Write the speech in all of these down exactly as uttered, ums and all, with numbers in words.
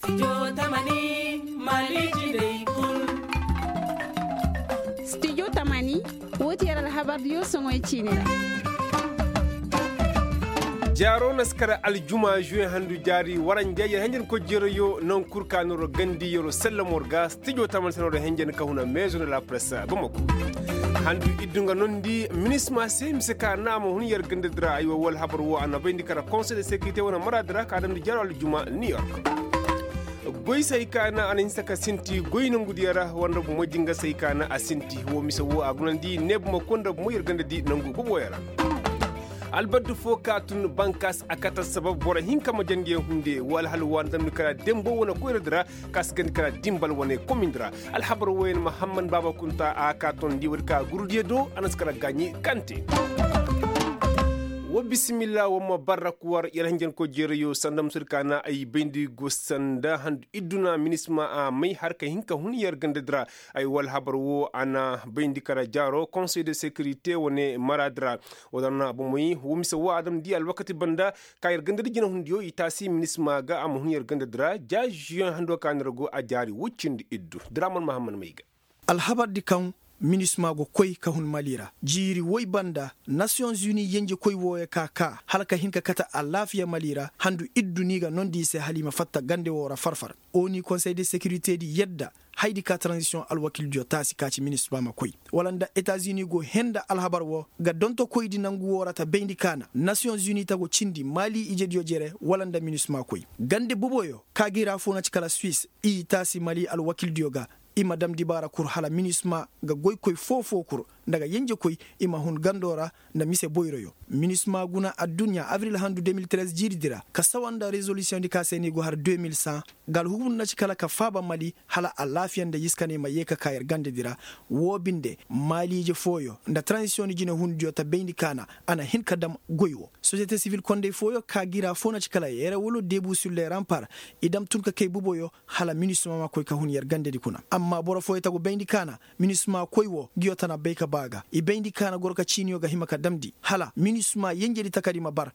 Studio tamani, wo ti yer alhabar diyo soŋoy ciini ra. Jaaro na si kara aljuma juwe handu jaari waranja yer henjen ko jeerayo naŋ kul ka no ro gandi yer sellamo ra ga studio tamani se no ro henjen ka huna meezo nda la presse bamako. Handu iddu nga nondi minisma se mise ka na a ma hun yer ganda dira ay wo wala habar wo a na bayndi kara konsey de sekirite wane maraadi ra ka damndi jaaro aljuma new york. Goy se hay ka na a na hinsa ka sinti goy nangu diya ra wala nda bumo jinga se hay ka na a sinti wo mise wo a gunandi neebuma ko nda bumo yer ganda di nangu boboyo ra. Albaddu fo ka tun bankas a kata sabab boro hinka ma jandiyaŋ hunde wala hala waani damndi kara dembo wane koyra dira ka si gandi kara dimbal wane komindi ra. Alhabar woyen mahamman baaba kunta a ka tondi woodi ka gurudiyo do a na si kara gaaɲi kante. Wa bisimilla wa ma barrak war yer hanjanko jeerayo sanda musudi ka na ay bayndi go sanda handu idduna minisma a may har ka hin ka hun yer ganda dira. Ay wala habar wo a na bayndi kara jaaro konsey de sekirite wane mara dira. Wa dana bomoy wo mise wo a dam di alwakati banda ka yer ganda di jinahundiyo i taasi minisma ga a ma hun yer ganda dira ja juyen hando ka nira go a jaari wuccindi iddu. Diraman mahamman may ga. Alhabar di kaŋ minisma go koy ka hun mali ra jiiri woy banda nasiyoŋ zuni yenjekoy wooyo ka ka hala ka hin ka kate alaafiya mali ra handu iddu ni ga nondi i se hala i ma fatta gande woo ra farfar. Oni konsey de sekirite di yadda haydi ka taranzisiyoŋ alwakildiyo taasi ka ci minisma ma koy wala nda etazuni go hee nda alhabar woo ga dontokoydi nangu woo ra ta bayndi ka na nasiyoŋ zuni ta go cindi mali ijediyo jere wala nda minisma koy gande boboyo ka ga i ra foo na ci kala suis i taasi mali alwakildiyo ga. I ma dam dibaara kul hala minisma ga goykoy foo-foo kul nda ga yenjekoy i ma hun gandoo ra nda mise boyroyo. Minisma guna adduɲɲa abril handu deux mille treize jiiridi ra ka sawa nda rezolisiyoŋdi ka se ni go har deux mille cent. Nga alhukumu na ci kala ka faaba mali hala alaafiya nda yiskaney ma yee ka ka yer gandedi ra. Woo binde maaliije fooyo nda taranzisiyoŋdi jinehundiyo ta bayndi ka na a na hin ka dam goy woo sosiyete sivil kondey fooyo ka ga i ra foo na ci kala yer wala debu sur le rampar. I dam tun ka kay buboyo hala minisma ma koy ka hun yer gandedi kuna amma boro fooyo ta go bayndi ka na minisma koy woo nguyo tana bay ka ba ga i bayndi ka na goro ka ciiniyo ga hima ka damndi hala minisma yenjedi takadi ma bar.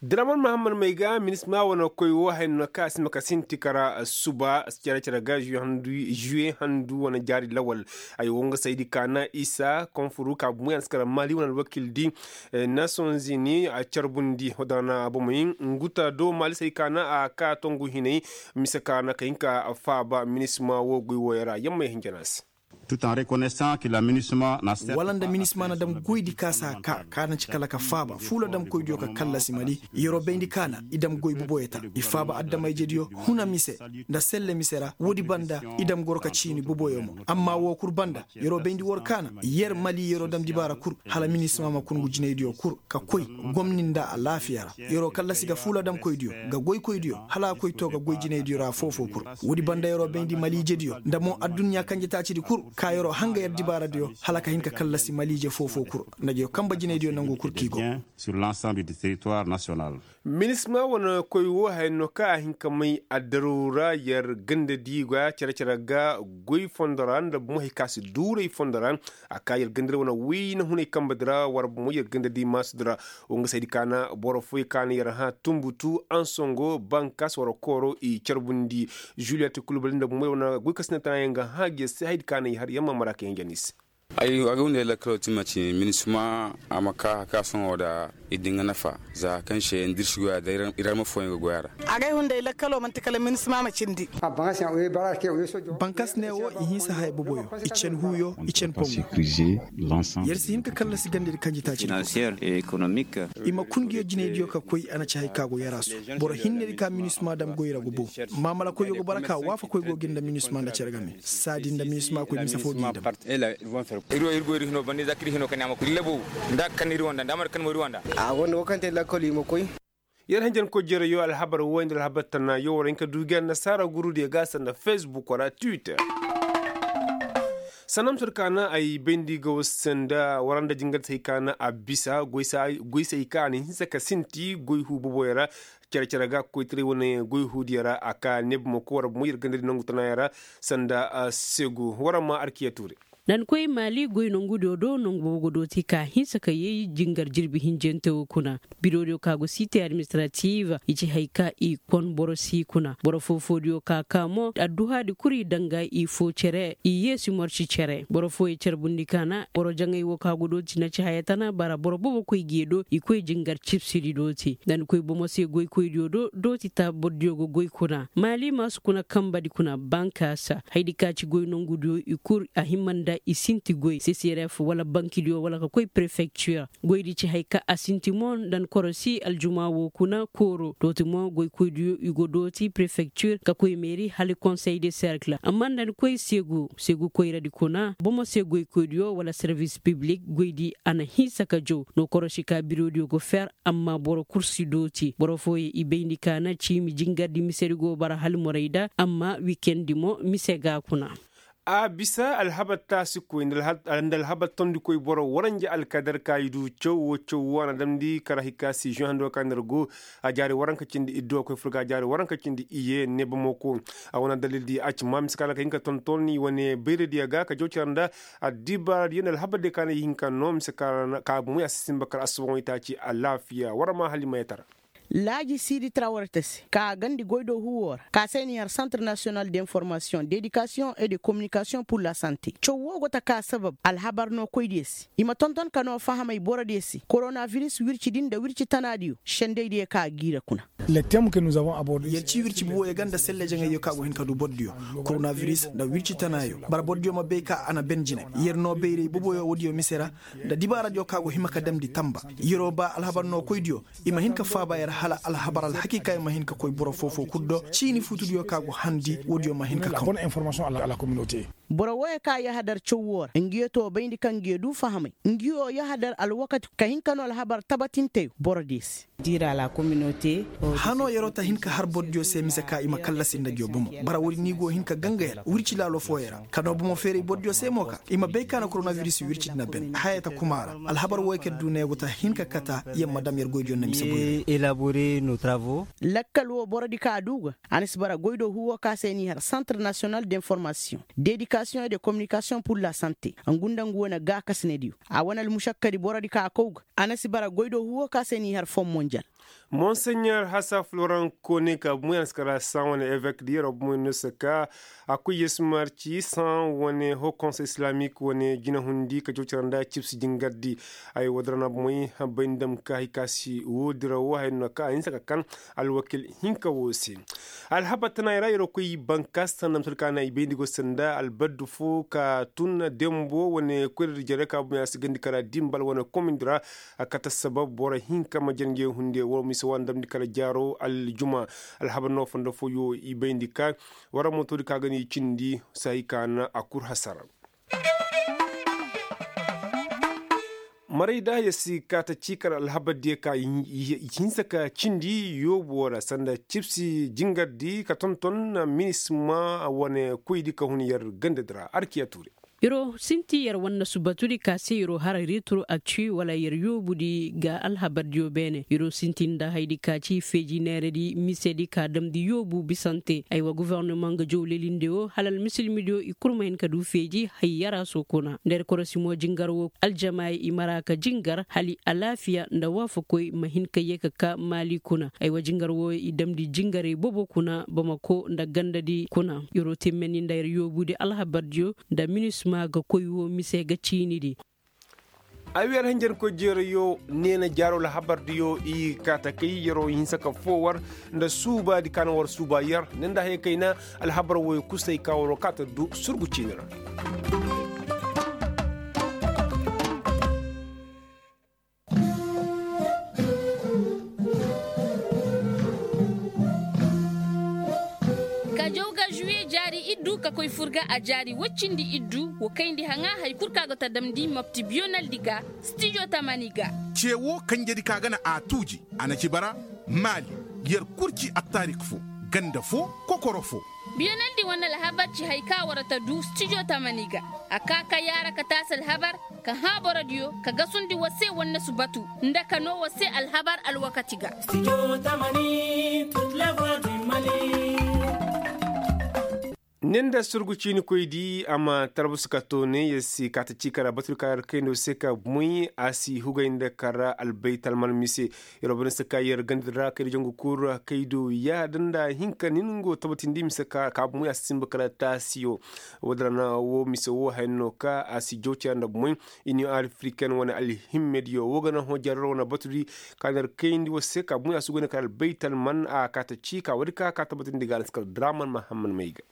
Diraman mahammad may ga minisma wane koy woo haya no ka a si ma ka sinti kara suba cere-cere ga žuwe handu wane jaari lawal. Ay wo nga saydi ka na isa konfuru ka bumo ya na si kara mali wane alwakildi. Nations unis a carbundi wadana bomey nguta do mali say ka na a ka tongu hinay. Mise ka na ka hin ka faaba minisma woo goy wooyo ra yamma ya hin jana se. Wala nda minisma na dam goydi ka si a ka ka na ci kala ka faaba fuula damkoydiyo ka kallasi mali. Yer'o bayndi ka na i dam goy boboyo ta i faaba adama-ijediyo huna mise nda selle mise ra woodi banda. I dam goro ka ciini boboyo mo amma woo kul banda yer'o bayndi war ka na yer mali yer'o dam dibaara kul hala minisma ma kun ngu jinaydiyo kul ka koy gomni nda alaafiya ra. Yer'o kallasi ga fuula damkoydiyo ga goykoydiyo hala a koy to ga goy jinaydiyo ra foo-foo kul. Woodi banda yer'o bayndi maliijediyo nda mo adduɲɲa kanjetaacidi kul ka yer'o hanga yer dibaaradiyo hala ka hin ka kallasi maliije foo-foo kul nda jo kanba jinaydiyo nangu kul k'i go. Minisma wane koy woo haya no kaŋ a hin ka may addaru ra yer gandadi ga cere-cere ga goy fondo ra nda bumo hay ka si duuray fondo ra. A ka yer gandadi wane wayna hunay kanbedi ra war bumo yer gandadi maasudi ra. Wo nga saydi ka na boro fooyey ka na yer hã tunbutu ansongo bankas war kooro i carbundi. Juliyat kulbali nda bumo yer wane goy ka si ne tana yer ga hã gi yer se haydi ka na i har yer ma mara ka yer jana i se. Ay a ga hunday lakkalo ti ma ci minisma a ma ka ka sohõ da i di nga nafa za kaŋ se nda ir si goya da ir alma fooyaŋ ga goya ra. A ga ay hunday lakkalo manti kala minisma ma cindi. Bankas ne wo i hinsa haya boboyo i cen huuyo i cen pongo. Yer si hin ka kallasi gandedi kanjitaaci di. I ma kun nguyo jinaydiyo ka koy a na ci hay ka go yarasu. Boro hinnedi ka minisma dam goy ra go bo. Maamalakoyyo go bara ka waafakoy go ga nda minisma nda cere game. Saadi nda minisma koy mise fo g'i dam. Ir wo ir go ir hino banda iza kaŋ ir hino kani a ma koy ir labu nda kaŋ ir wanda nda a ma ir kaŋ mo ir wanda. A gonda wo kaŋ te lakkol i ma koy. Yer hanjankoy jereyo alhabar woy nda alhabar tana yo war hin ka du gi annasaara gurudiyo ga sanda facebook wala twitter. Sanda ma sor ka na ay bayndi ga war sanda war nda jingar se hay ka na a bisa goy se hay ka na hinsa ka sinti goy hu boboyo ra. Cere-cere ga koytaray wane goy huudiyo ra a ka neebuma ko war bumo yer gandadi nangu tanayaŋ ra. Sanda segu war ma arkiya tuure. Da ni koy maali goy nongudiyo do nongu boobo ga dooti ka hinsa ka yee jingar jirbi hinjante wo kuna. Birodiyo ka go siite administrative i ci hay ka i kon boro si kuna boro foo-foodiyo ka ka mo adduhaadi kul i danga i foo cere i yeesi morci cere boro fooyey carbundi kaana boro jaŋay wo ka go dooti na ci haya tana bara boro boobo koy gi do i koy jingar cibsidi dooti da ni koy bomo se goykoydiyo do dooti ta bordiyo ga goy kuna maali maasu kuna kanbadi kuna bankaasa haydi ka ci goy nongudiyo i kul a hima nda i sinti goy seseref wala bankidiyo wala ka koy prefektir goydi ci hay ka a sinti mo nda ni korosi aljuma wo kuna kooro dooti mo goykoydiyo i go dooti prefektir ka koy meeri hala konsey de serkil amma nda ni koy seegu seegu koyradi kuna bomo se goykoydiyo wala servis piblik goydi a na hinsa ka jow no korosi ka birodiyo go fer amma boro kul si dooti boro fooyey i bayndi ka na ciimi jingardi misedi go bara hala morayda amma wikendi mo mise ga kuna. A bisa alhabar taasikoy nda alhabar tondikoy boro waranja alkadar ka i du caw wo caw wo a na damndi kara hikka si žuŋ hando ka nda ir go a jaari waranka cindi iddu a koy fur ga a jaari waranka cindi iye ne bamako. A wane dalildi a ci ma mise ka ra ka hin ka tonton i wane bayradiyo ga ka jaw cara nda addibaaradiyo nda alhabardiyo ka na i hin ka no mise ka ra ka moy a si sinba kar asubaŋo itaaci alaafiya war ma hala i ma yee tara. Laaji siidi trawarte se ka a gandi goydoo huuwoo ra ka se n'i har santre nasiyonal de informasiyoŋ de edikasiyoŋ e de kominikasiyoŋ pur la sante caw woo go ta ka sabab alhabar nookoydiyo se i ma tonton ka noo fahamay borodiyo se koronabiris wircidi nda wirci tanaadiyo sendeydiyo ka a g'i ra kuna. Yer ci wirci buboyo ga nda selle jaŋayyo ka go hin ka du bordiyo koronabiris nda wirci tanaayo bara bordiyo ma bay ka a na ben jinay yer noo bayray boboyo woodiyo mise ra nda dibaaradiyo ka go hima ka damndi tamba yeroo ba alhabar nookoydiyo i ma hin ka faaba yer hala alhabar alhakiikay ma hin ka koy boro foo-foo kul do ciini futudiyo ka go handi woodiyo ma hin ka kaw. Boro wooyo ka yahadar caw woo ra ngiyo too bayndi kaŋ ngiyo duu fahamay ngiyo yahadar alwakati ka hin ka noo alhabar tabatinteyo borodiyo se. Hanoo yeroo ta hin ka har borodiyo se mise ka i ma kallasi nda ngiyo bomo bara woodi ni go hin ka ganga yer wirci laalo fooyo ra ka noo bomo feeray borodiyo se mo ka i ma bay ka na koronabiris wirci di na ben haya ta kuma ra alhabar wooyo kaŋ yer duu ne go ta hin ka kata yer ma dam yer goydiyo nda mise boyro. Lakkal woo borodi ka a duu ga a na si bara goydoo huuwoo ka se n'i har santre nasiyonal de informasiyoŋ de edikasiyoŋ e de kominikasiyoŋ pur la sante ngu nda ngu wane gaakasinediyo a wane almušakkadi borodi ka a kaw ga a na si bara goydoo huuwoo ka se n'i har fom monjal. Monseɲer hasa floran kone ka bumo ya na si kara san wane evek di yeroo bumo ya na si ka a kuy yesmar ci san wane hokonsey islamik wane jinahundi ka cawcara nda cibsi jingardi. Ay wadara na bumoy bay ndam ka hikasi wodira wo hay no ka a hinsa ka kan alwakil hinka wo se. Alhabar tana i ra yeroo koy bankas sanda misal ka na i bayndi go sanda albaddu fo ka tun dembo wane koyra di jere ka bumoy a si gandi kara dimbal wane komindi ra. A kate sabab boro hinka ma jere ngey hunde woo mise woo a na damndi kala jaaro aljuma. Alhabar no fondo fooyo i bayndi ka wara motoodi ka ga no i cindi saayi ka na a kul hasara. Maray da haya si kaata ciikar alhabardiyo ka i hinsa ka cindi yoobu woo ra sanda cibsi jingardi ka tonton minisma wane koydi ka hun yer gandadi ra arkiya tuure. Yeroo sinti yer wannasu batudi ka se yeroo hara reeturu acci wala yer yoobudi ga alhabardiyo beene yeroo sinti nda haydi ka ci feeji neeredi misedi ka damndi yoobu bisante aywa gofornoma nga jowlelinde woo hala almisilmidiyo i kul ma hin ka du feeji hay yaraso kuna nda yer korosimo jingar woo aljamaay i mara ka jingar hala alaafiya nda waafakoy ma hin ka yee ka kaa maali kuna aywa jingar woo i damndi jingarey bobo kuna bamako nda gandadi kuna yeroo timmeni nda yer yoobudi alhabardiyo nda minisma ga koy woo mise ga ciinidi. Ay wer hinjankoy jeerayo neena jaaro alhabardiyo i kaata kay yeroo hinsa ka foo war nda suubaadi ka na war suuba yer ne nda haya kayna alhabar wooyo kusay ka waroo kaata du surgu ciini ra. Ka jaw ga žuwiye jaari iddu ka koy fur ga a jaari woy cindi iddu woo kayndi haŋa hari kul kaŋ a go ta damndi mopti biyonaldi ga stijo tamani ga. Cee woo kanjedi kaŋ a ga na a tuuji a na ci bara maali yer kul ci attaarik foo ganda foo kokoro foo. Biyonaldi wane alhabar ci hari kaŋ a war ta du stijo tamani ga. A kaa ka yaara ka taasi alhabar ka hãa borodiyo ka gasundi war se wannasu batu nda ka noo war se alhabar alwakati ga. Studio tamani toute la voix du mali. Ne nda sorgu ciinikoy di a ma talbus ka to ne yer si kaata ciika ra baturi ka yer kayndo se ka moy a si hugay nda kara albaytal man mise. Yer wo banda se ka yer gandi ra kayndi jangu kuru kaydo yaada nda hinka nin go tabatindi mise ka ka moy a si sinba kala taasiyo. Wo- din ra na wo mise wo haya no ka a si jawciya nda moy. Iniyo afriken wane alhimmediyo wo ga na hõ jarar wane baturi ka na yer kayndi wo se ka moy a si goy nda kala albaytal man a kaata ciika wo- din ka ka tabatindi ga a na si kala draman mahamman may ga.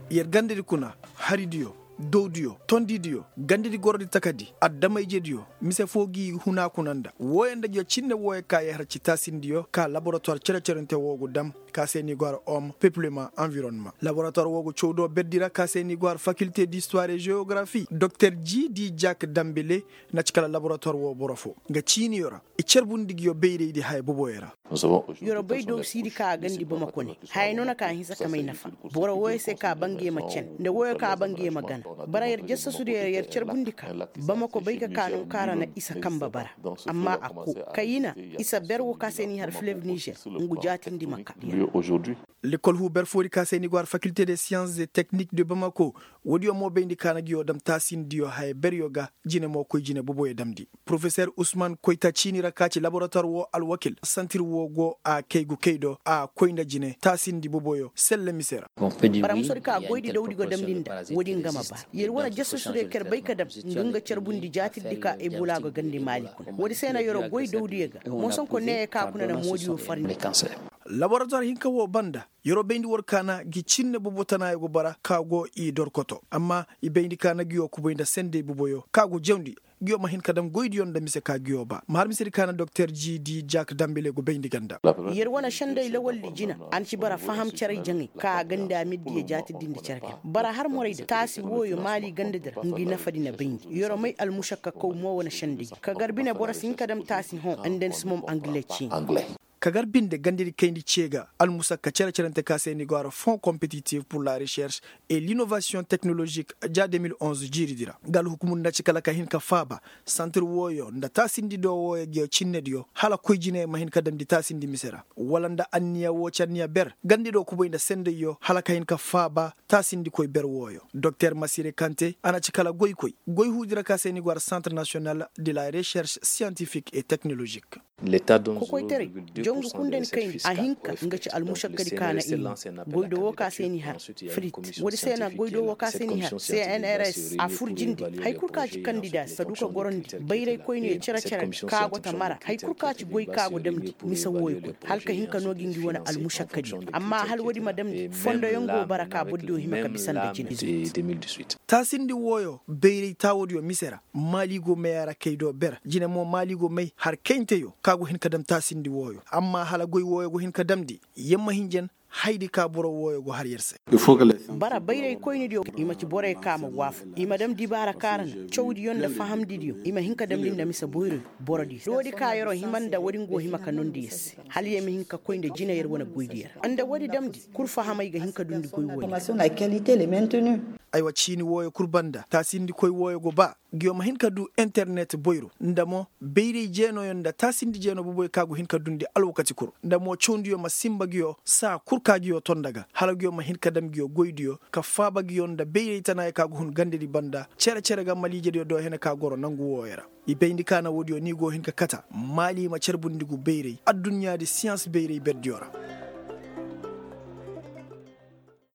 Yer gandadi kuna, haridiyo, dowdiyo, tondidiyo, gandadi gorodi takadi, adama-ijediyo, mise foo gi huna kuna nda wooyo nda ngiyo cinne wooyo ka yer har ci taasindiyo ka laboratuwar cere-cerente woo gu dam. Ka se ni go har om pepilema anvironema laboratuwar woo gu cawdo berdi ra ka se ni go har fakilte distuwar e jewografi doktor g d jak dambele. Na ci kala laboratuwar woo boro foo nga ciiniyo ra i carbundi ngiyo bayraydi haya boboyo ra. Yer wo bay dowsidi ka a gandi bamako ne haya no na ka hinsa ka may nafa. Boro wooyo se ka ba nge ma cen nda wooyo ka ba nge ma gana. Bara yer jassasu diyo yer carbundi ka bamako bay ga ka nangu ka ra na isa kanba bara. Amma a koo kayina isa ber wo ka se n'i har filev nizer ngu jaatindi ma ka. Lekol huu ber foodi ka se ni go har fakilte de siyans de teknik de bamako. Woodiyo mo bayndi ka na ngiyo dam taasindiyo haya beryo ga jine mo koy jine boboyo damndi. Porofeser usman koyta ciini ra ka ci laboratuwar woo alwakil santir woo go a kay gu kay do a koy nda jine taasindi boboyo selle mise ra. Bara musodi ka goydi dawdi go damndi nda woodin ga ma ba yer wane jasasudiyo ka yer bay ka dam nga nga carbundi jaatirdi ka ebola go gandi maali kuna woodi se na yer wo goy dawdiyo ga. Moosonko neeyo ka kuna na moodiyo farndi. Laboratuwar hinka woo banda yer wo bayndi war kaana ngi cinne bobo tanaayo go bara ka go i dorkoto amma i bayndi kaana ngiyo kubay nda sendey boboyo ka go jawndi. Ngiyo ma hin ka dam goydiyo nda mise ka ngiyo ba ma har misedi kaana doktor g d jak dambele go bayndi ganda. Yer wane sendey lawaldi jina a na ci bara faham caray jaŋay ka a ganda middiyo jaatirdi nda care kay bara har morayda taasi wooyo maali gandadi ra ngi nafadi na bayndi yer wo may almušakka kaw mo wane sendey. Ka gar bine boro si hin ka dam taasi hõ nda ni si mom angile ciini. Ka gar binde gandedi kayndi ce ga almusakka cere-cerante ka se ni go har fon kompetitif pur la recherš e linovasiyoŋ teknoložik ja de mil onze jiiridi ra. Nga alhukumudi na ci kala ka hin ka faaba santir wooyo nda taasindi do wooyo ngiyo cinnediyo hala koy jine ma hin ka damndi taasindi mise ra wala nda anniya woo ci anniya ber gandi do kubay nda sendayyo hala ka hin ka faaba. Taasindikoy ber wooyo doktor masire kante a na ci kala goykoy goy huudi ra ka se ni go har santir nasiyonal de la recherš siyantifik e teknoložik. Kokoytaray, jangu kundani kayndi a hinka nga ci almušakkadi ka na i nin. Goydoo woo ka se ni har frit woodi se na goydoo woo ka se ni har cnrs a fur jindi. Hay kul ka ci kandida si ka du ka gorandi bayraykoyniyo cere-cere ka go ta mara hay kul ka ci goy ka go damndi mise wooyo kuna hala ka hin ka noo gi ngi wane almušakkadi amma hala woodi ma damndi fondoyaŋ go bara ka bordiyo hima ka bisa nda jina. Taasindi wooyo bayray taawodiyo mise ra maali go may a ra kay do ber jine mo maali go may har kaynteyo ka go hin ka dam taasindi wooyo amma hala goy wooyo go hin ka damndi. Yamma hinjan haydi ka boro wooyo go har yer se. Bara bayraykoynidiyo i ma ci boroyo ka ma waafaku i ma dam dibaara ka ra na cawdiyo nda fahamdidiyo i ma hin ka damndi nda mise boyroyo. Borodiyo doodi ka yeroo hima nda woodin go hima ka nondi yer se hala yer ma hin ka koy nda jina yer wane goydiyo ra nda woodi damndi kul fahamay ga hin ka dundi goy wooyo. Aywa ciini wooyo kul banda taasindikoy wooyo go ba. Ngiyo ma hin ka du internet boyro nda mo bayray jeenooyo nda taasindi jeenoo boboyo ka go hin ka dundi alwakati kul nda mo cawndiyo ma sinba ngiyo saa kul ka ngiyo to nda ga hala ngiyo ma hin ka dam ngiyo goydiyo ka faaba ngiyo nda bayray tanaayo ka go hun gandedi banda cere-cere ga maliijediyo do hene ka goro nangu wooyo ra. I bayndi ka na woodiyo ni go hin ka kata maali ma carbundi ngu bayray adduɲɲaadi siyans bayray berdiyo ra.